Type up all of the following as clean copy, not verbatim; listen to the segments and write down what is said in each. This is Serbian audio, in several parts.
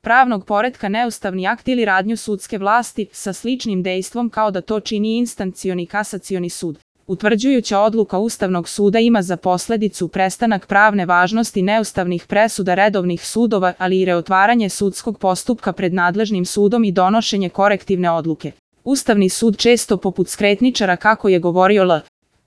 pravnog poretka neustavni akt ili radnju sudske vlasti sa sličnim dejstvom kao da to čini instancioni kasacioni sud. Utvrđujuća odluka Ustavnog suda ima za posledicu prestanak pravne važnosti neustavnih presuda redovnih sudova, ali i reotvaranje sudskog postupka pred nadležnim sudom i donošenje korektivne odluke. Ustavni sud često poput skretničara, kako je govorio L.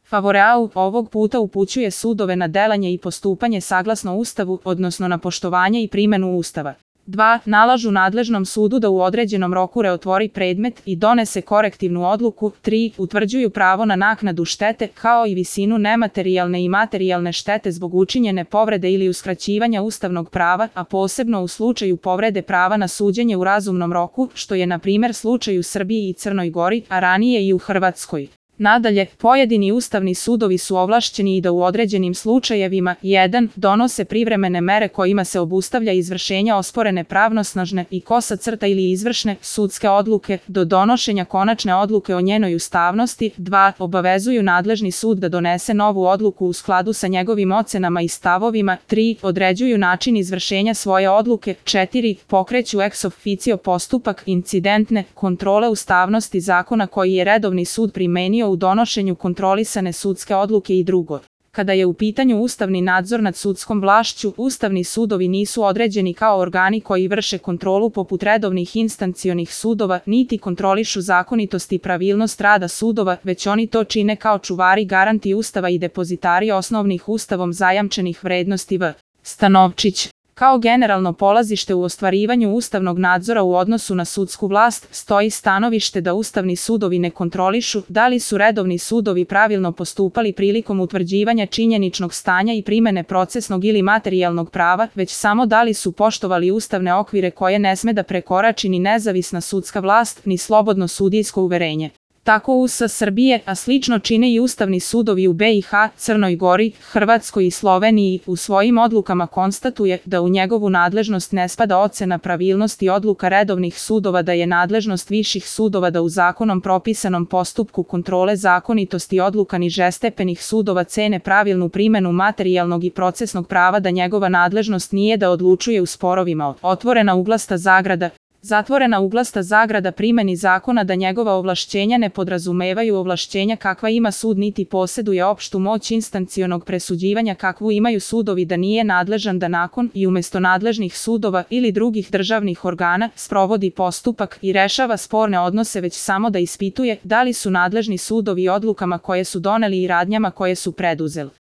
Favoreau, ovog puta upućuje sudove na delanje i postupanje saglasno Ustavu, odnosno na poštovanje i primenu Ustava. 2. Nalažu nadležnom sudu da u određenom roku reotvori predmet i donese korektivnu odluku. 3. Utvrđuju pravo na naknadu štete, kao i visinu nematerijalne i materijalne štete zbog učinjene povrede ili uskraćivanja ustavnog prava, a posebno u slučaju povrede prava na suđenje u razumnom roku, što je na primjer slučaj u Srbiji i Crnoj Gori, a ranije i u Hrvatskoj. Nadalje, pojedini ustavni sudovi su ovlašćeni i da u određenim slučajevima 1. donose privremene mere kojima se obustavlja izvršenje osporene pravnosnažne i kosa crta ili izvršne sudske odluke do donošenja konačne odluke o njenoj ustavnosti. 2. Obavezuju nadležni sud da donese novu odluku u skladu sa njegovim ocenama i stavovima. 3. Određuju način izvršenja svoje odluke. 4. Pokreću ex officio postupak incidentne kontrole ustavnosti zakona koji je redovni sud primenio u donošenju kontrolisane sudske odluke i drugo. Kada je u pitanju ustavni nadzor nad sudskom vlašću, ustavni sudovi nisu određeni kao organi koji vrše kontrolu poput redovnih instancijonih sudova, niti kontrolišu zakonitost i pravilnost rada sudova, već oni to čine kao čuvari garanti Ustava i depozitari osnovnih Ustavom zajamčenih vrednosti. V. Stanovčić. Kao generalno polazište u ostvarivanju ustavnog nadzora u odnosu na sudsku vlast stoji stanovište da ustavni sudovi ne kontrolišu da li su redovni sudovi pravilno postupali prilikom utvrđivanja činjeničnog stanja i primene procesnog ili materijalnog prava, već samo da li su poštovali ustavne okvire koje ne sme da prekorači ni nezavisna sudska vlast, ni slobodno sudijsko uverenje. Tako US Srbije, a slično čine i ustavni sudovi u BiH, Crnoj Gori, Hrvatskoj i Sloveniji, u svojim odlukama konstatuje da u njegovu nadležnost ne spada ocena pravilnosti odluka redovnih sudova, da je nadležnost viših sudova da u zakonom propisanom postupku kontrole zakonitosti odluka nižestepenih sudova cene pravilnu primenu materijalnog i procesnog prava, da njegova nadležnost nije da odlučuje u sporovima otvorena uglasta zagrada, zatvorena uglasta zagrada primeni zakona, da njegova ovlašćenja ne podrazumevaju ovlašćenja kakva ima sud niti poseduje opštu moć instancionog presuđivanja kakvu imaju sudovi, da nije nadležan da nakon i umesto nadležnih sudova ili drugih državnih organa sprovodi postupak i rešava sporne odnose, već samo da ispituje da li su nadležni sudovi odlukama koje su doneli i radnjama koje su preduzeli